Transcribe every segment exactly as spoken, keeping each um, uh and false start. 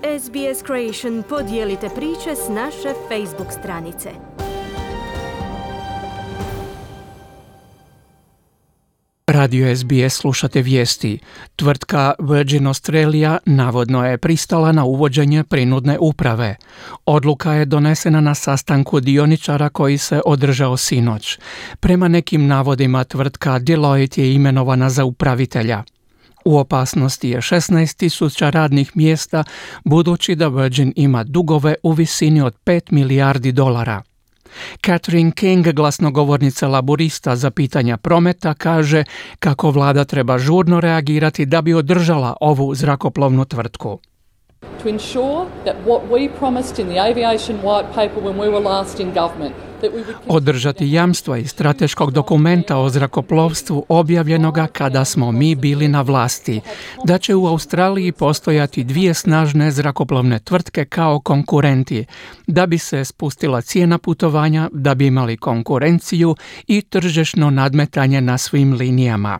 S B S Creation podijelite priče s naše Facebook stranice. Radio S B S slušate vijesti. Tvrtka Virgin Australia navodno je pristala na uvođenje prinudne uprave. Odluka je donesena na sastanku dioničara koji se održao sinoć. Prema nekim navodima tvrtka Deloitte je imenovana za upravitelja. U opasnosti je šesnaest tisuća radnih mjesta, budući da Virgin ima dugove u visini od pet milijardi dolara. Catherine King, glasnogovornica laburista za pitanja prometa, kaže kako vlada treba žurno reagirati da bi održala ovu zrakoplovnu tvrtku. To ensure that what we promised in the aviation white paper when we were last in government, that we would Održati jamstva iz strateškog dokumenta o zrakoplovstvu objavljenoga kada smo mi bili na vlasti, da će u Australiji postojati dvije snažne zrakoplovne tvrtke kao konkurenti, da bi se spustila cijena putovanja, da bi imali konkurenciju i tržišno nadmetanje na svim linijama.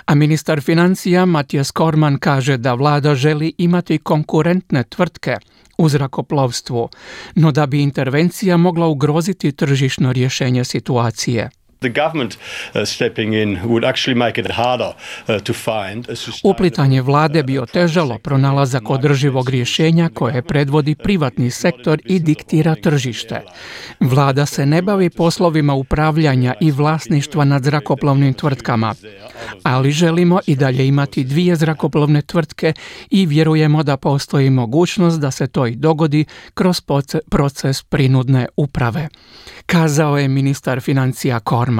A ministar financija Matthias Cormann kaže da vlada želi imati konkurentne tvrtke u zrakoplovstvu, no da bi intervencija mogla ugroziti tržišno rješenje situacije. The government uh, stepping in would actually make it harder uh, to find a sustainable... Uplitanje vlade bi otežalo pronalazak održivog rješenja koje predvodi privatni sektor i diktira tržište. Vlada se ne bavi poslovima upravljanja i vlasništva nad zrakoplovnim tvrtkama, ali želimo i dalje imati dvije zrakoplovne tvrtke i vjerujemo da postoji mogućnost da se to i dogodi kroz proces prinudne uprave, kazao je ministar financija Cormann.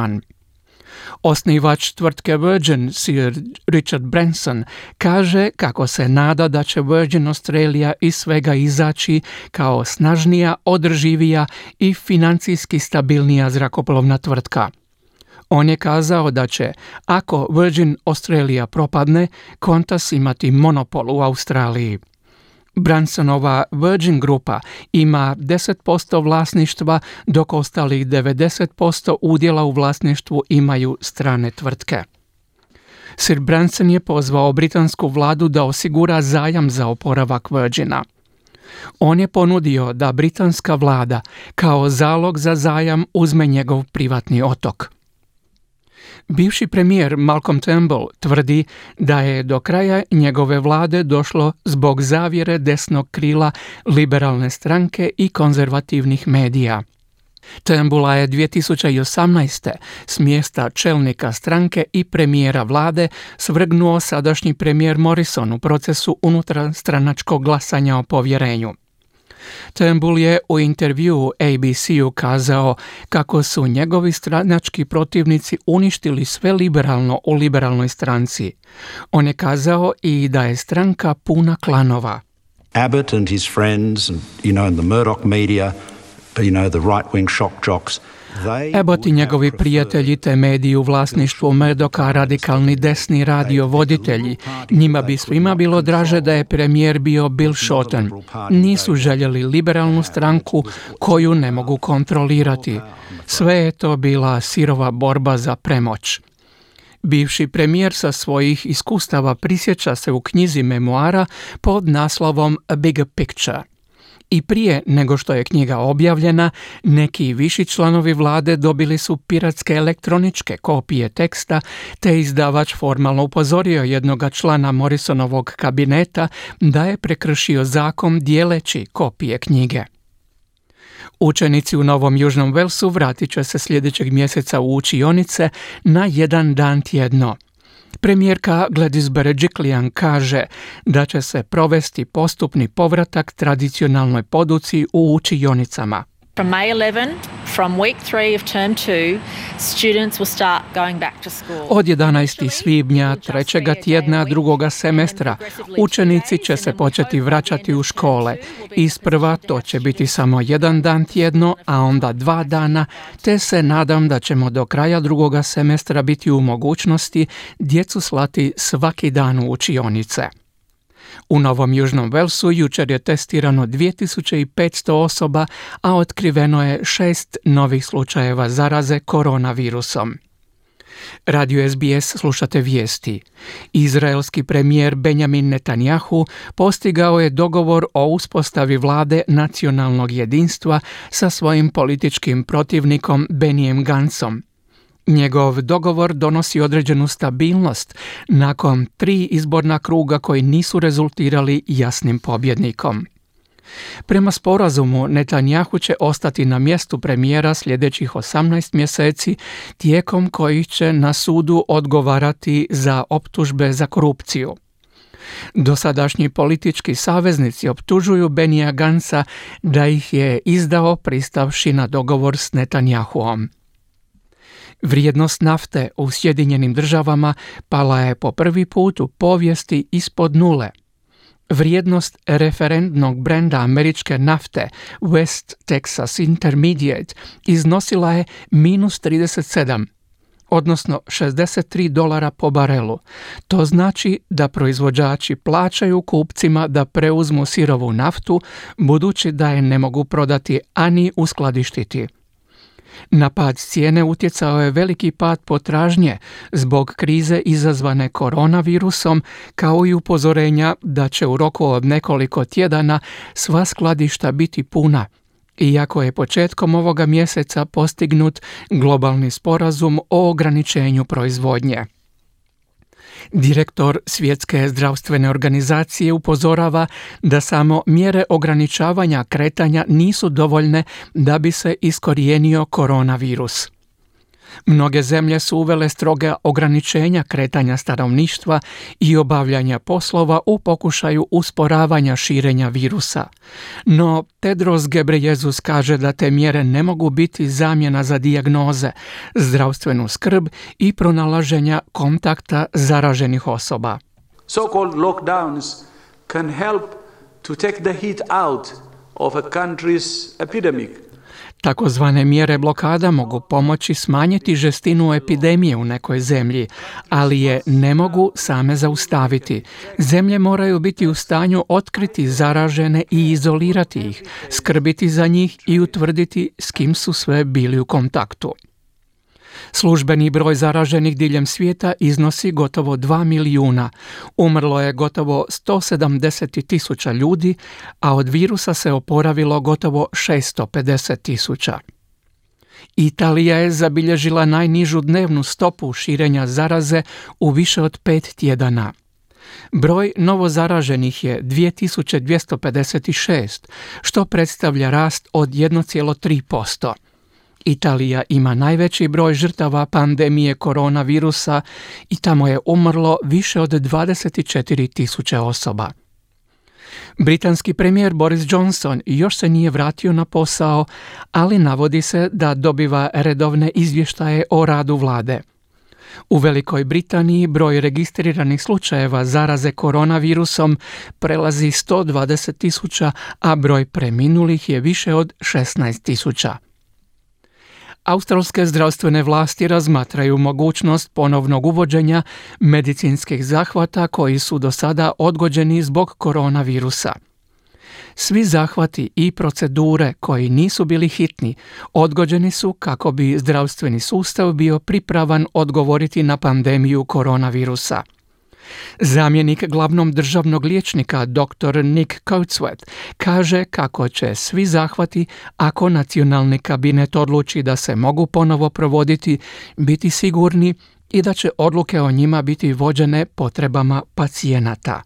Osnivač tvrtke Virgin, Sir Richard Branson, kaže kako se nada da će Virgin Australia iz svega izaći kao snažnija, održivija i financijski stabilnija zrakoplovna tvrtka. On je kazao da će, ako Virgin Australia propadne, Qantas imati monopol u Australiji. Bransonova Virgin grupa ima deset posto vlasništva, dok ostalih devedeset posto udjela u vlasništvu imaju strane tvrtke. Sir Branson je pozvao britansku vladu da osigura zajam za oporavak Virgina. On je ponudio da britanska vlada kao zalog za zajam uzme njegov privatni otok. Bivši premijer Malcolm Turnbull tvrdi da je do kraja njegove vlade došlo zbog zavjere desnog krila liberalne stranke i konzervativnih medija. Turnbulla je dvije tisuće osamnaeste s mjesta čelnika stranke i premijera vlade svrgnuo sadašnji premijer Morrison u procesu unutarstranačkog glasanja o povjerenju. Turnbull je u intervjuu A B C-u kazao kako su njegovi stranački protivnici uništili sve liberalno u liberalnoj stranci. On je kazao i da je stranka puna klanova. Abbott and his friends and you know and the Murdoch media, you know the right-wing shock jocks. Abbott i njegovi prijatelji te mediji u vlasništvu Murdocha, radikalni desni radio voditelji, njima bi svima bilo draže da je premijer bio Bill Shorten. Nisu željeli liberalnu stranku koju ne mogu kontrolirati. Sve je to bila sirova borba za premoć. Bivši premijer sa svojih iskustava prisjeća se u knjizi memoara pod naslovom A Bigger Picture. I prije nego što je knjiga objavljena, neki viši članovi vlade dobili su piratske elektroničke kopije teksta, te izdavač formalno upozorio jednoga člana Morrisonovog kabineta da je prekršio zakon dijeleći kopije knjige. Učenici u Novom Južnom Walesu vratit će se sljedećeg mjeseca u učionice na jedan dan tjedno. Premijerka Gladys Berejiklian kaže da će se provesti postupni povratak tradicionalnoj poduci u učionicama. From May eleventh, from week three of term two, students will start going back to school. Od jedanaestog svibnja trećega tjedna drugoga semestra učenici će se početi vraćati u škole. Isprva to će biti samo jedan dan tjedno, a onda dva dana, te se nadam da ćemo do kraja drugoga semestra biti u mogućnosti djecu slati svaki dan u učionice. U Novom Južnom Walesu jučer je testirano dvije tisuće petsto osoba, a otkriveno je šest novih slučajeva zaraze koronavirusom. Radio S B S slušate vijesti. Izraelski premijer Benjamin Netanjahu postigao je dogovor o uspostavi vlade nacionalnog jedinstva sa svojim političkim protivnikom Benijem Gancom. Njegov dogovor donosi određenu stabilnost nakon tri izborna kruga koji nisu rezultirali jasnim pobjednikom. Prema sporazumu, Netanjahu će ostati na mjestu premijera sljedećih osamnaest mjeseci, tijekom kojih će na sudu odgovarati za optužbe za korupciju. Dosadašnji politički saveznici optužuju Benija Ganca da ih je izdao pristavši na dogovor s Netanjahuom. Vrijednost nafte u Sjedinjenim Državama pala je po prvi put u povijesti ispod nule. Vrijednost referentnog brenda američke nafte West Texas Intermediate iznosila je minus trideset sedam, odnosno šezdeset tri dolara po barelu. To znači da proizvođači plaćaju kupcima da preuzmu sirovu naftu, budući da je ne mogu prodati ani uskladištiti. Na pad cijene utjecao je veliki pad potražnje zbog krize izazvane koronavirusom, kao i upozorenja da će u roku od nekoliko tjedana sva skladišta biti puna, iako je početkom ovoga mjeseca postignut globalni sporazum o ograničenju proizvodnje. Direktor Svjetske zdravstvene organizacije upozorava da samo mjere ograničavanja kretanja nisu dovoljne da bi se iskorijenio koronavirus. Mnoge zemlje su uvele stroga ograničenja kretanja stanovništva i obavljanja poslova u pokušaju usporavanja širenja virusa. No Tedros Ghebreyesus kaže da te mjere ne mogu biti zamjena za dijagnoze, zdravstvenu skrb i pronalaženja kontakta zaraženih osoba. So-called lockdowns can help to take the heat out of a country's epidemic. Takozvane mjere blokada mogu pomoći smanjiti žestinu epidemije u nekoj zemlji, ali je ne mogu same zaustaviti. Zemlje moraju biti u stanju otkriti zaražene i izolirati ih, skrbiti za njih i utvrditi s kim su sve bili u kontaktu. Službeni broj zaraženih diljem svijeta iznosi gotovo dva milijuna. Umrlo je gotovo sto sedamdeset tisuća ljudi, a od virusa se oporavilo gotovo šesto pedeset tisuća. Italija je zabilježila najnižu dnevnu stopu širenja zaraze u više od pet tjedana. Broj novozaraženih je dvije tisuće dvjesto pedeset šest, što predstavlja rast od jedan zarez tri posto. Italija ima najveći broj žrtava pandemije koronavirusa i tamo je umrlo više od dvadeset četiri tisuće osoba. Britanski premijer Boris Johnson još se nije vratio na posao, ali navodi se da dobiva redovne izvještaje o radu vlade. U Velikoj Britaniji broj registriranih slučajeva zaraze koronavirusom prelazi sto dvadeset tisuća, a broj preminulih je više od šesnaest tisuća. Australske zdravstvene vlasti razmatraju mogućnost ponovnog uvođenja medicinskih zahvata koji su do sada odgođeni zbog koronavirusa. Svi zahvati i procedure koji nisu bili hitni odgođeni su kako bi zdravstveni sustav bio pripravan odgovoriti na pandemiju koronavirusa. Zamjenik glavnog državnog liječnika dr. Nick Coatsworth kaže kako će svi zahvati, ako nacionalni kabinet odluči da se mogu ponovo provoditi, biti sigurni i da će odluke o njima biti vođene potrebama pacijenata.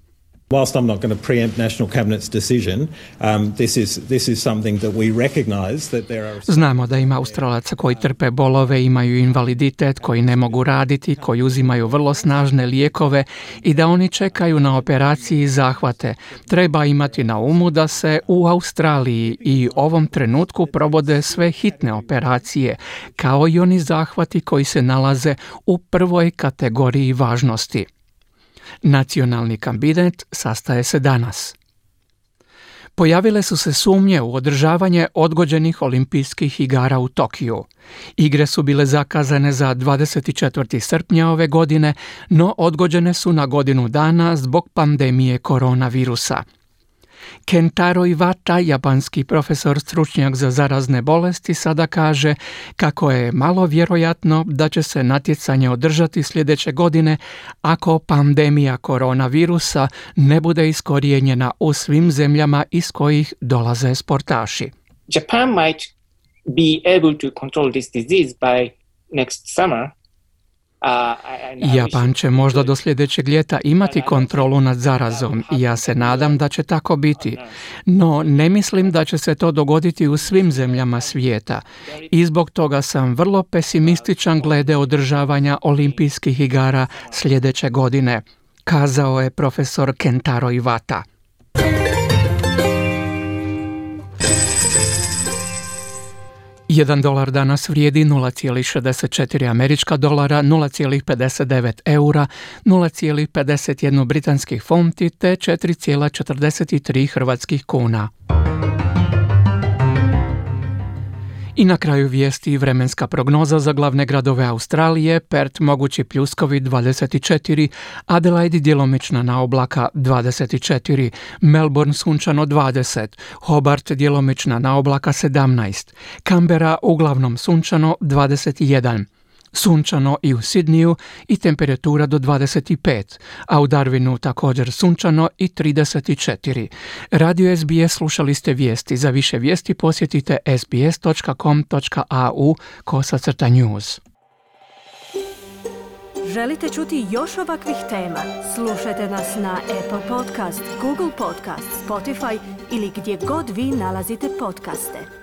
Whilst I'm not going to preempt National Cabinet's decision, um, this is this is something that we recognise that there are... Znamo da ima Australaca koji trpe bolove, imaju invaliditet, koji ne mogu raditi, koji uzimaju vrlo snažne lijekove i da oni čekaju na operaciji i zahvate. Treba imati na umu da se u Australiji i ovom trenutku provode sve hitne operacije, kao i oni zahvati koji se nalaze u prvoj kategoriji važnosti. Nacionalni kabinet sastaje se danas. Pojavile su se sumnje u održavanje odgođenih olimpijskih igara u Tokiju. Igre su bile zakazane za dvadeset četvrtog srpnja ove godine, no odgođene su na godinu dana zbog pandemije koronavirusa. Kentaro Iwata, japanski profesor stručnjak za zarazne bolesti, sada kaže kako je malo vjerojatno da će se natjecanje održati sljedeće godine ako pandemija koronavirusa ne bude iskorijenjena u svim zemljama iz kojih dolaze sportaši. Japan might be able to control this disease by next summer. Japan će možda do sljedećeg ljeta imati kontrolu nad zarazom i ja se nadam da će tako biti. No, ne mislim da će se to dogoditi u svim zemljama svijeta i zbog toga sam vrlo pesimističan glede održavanja olimpijskih igara sljedeće godine, kazao je profesor Kentaro Iwata. Jedan dolar danas vrijedi nula zarez šezdeset četiri američka dolara, nula zarez pedeset devet eura, nula zarez pedeset jedan britanskih funti te četiri zarez četrdeset tri hrvatskih kuna. I na kraju vijesti vremenska prognoza za glavne gradove Australije: Perth mogući pljuskovi dvadeset četiri, Adelaide djelomična naoblaka dvadeset četiri, Melbourne sunčano dvadeset, Hobart djelomična naoblaka sedamnaest, Canberra uglavnom sunčano dvadeset jedan, sunčano i u Sidniju i temperatura do dvadeset pet, a u Darwinu također sunčano i trideset četiri. Radio S B S slušali ste vijesti. Za više vijesti posjetite sbs dot com dot a u kosacrta news. Želite čuti još ovakvih tema? Slušajte nas na Apple Podcast, Google Podcast, Spotify ili gdje god vi nalazite podcaste.